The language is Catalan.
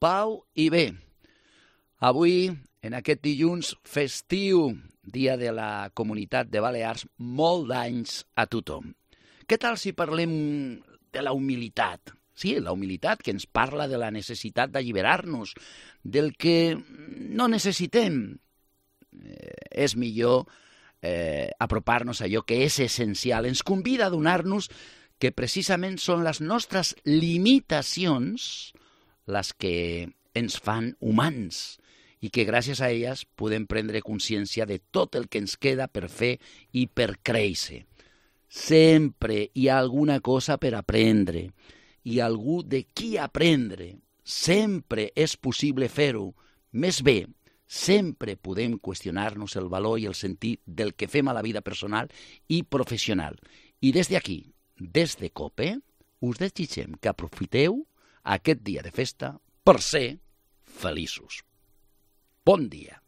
pau i bé. Avui, en aquest dilluns festiu, dia de la Comunitat de Balears, molt d'anys a tothom. Què tal si parlem de la humilitat? Sí, la humilitat que ens parla de la necessitat d'alliberar-nos, del que no necessitem. És millor apropar-nos a allò que és essencial. Ens convida a donar-nos que precisament són les nostres limitacions les que ens fan humans i que gràcies a elles podem prendre consciència de tot el que ens queda per fer i per créixer. Sempre hi ha alguna cosa per aprendre i algú de qui aprendre. Sempre és possible fer-ho. Més bé, sempre podem qüestionar-nos el valor i el sentit del que fem a la vida personal i professional. I des d'aquí, des de COPE, us desitgem que aprofiteu aquest dia de festa per ser feliços. Bon dia.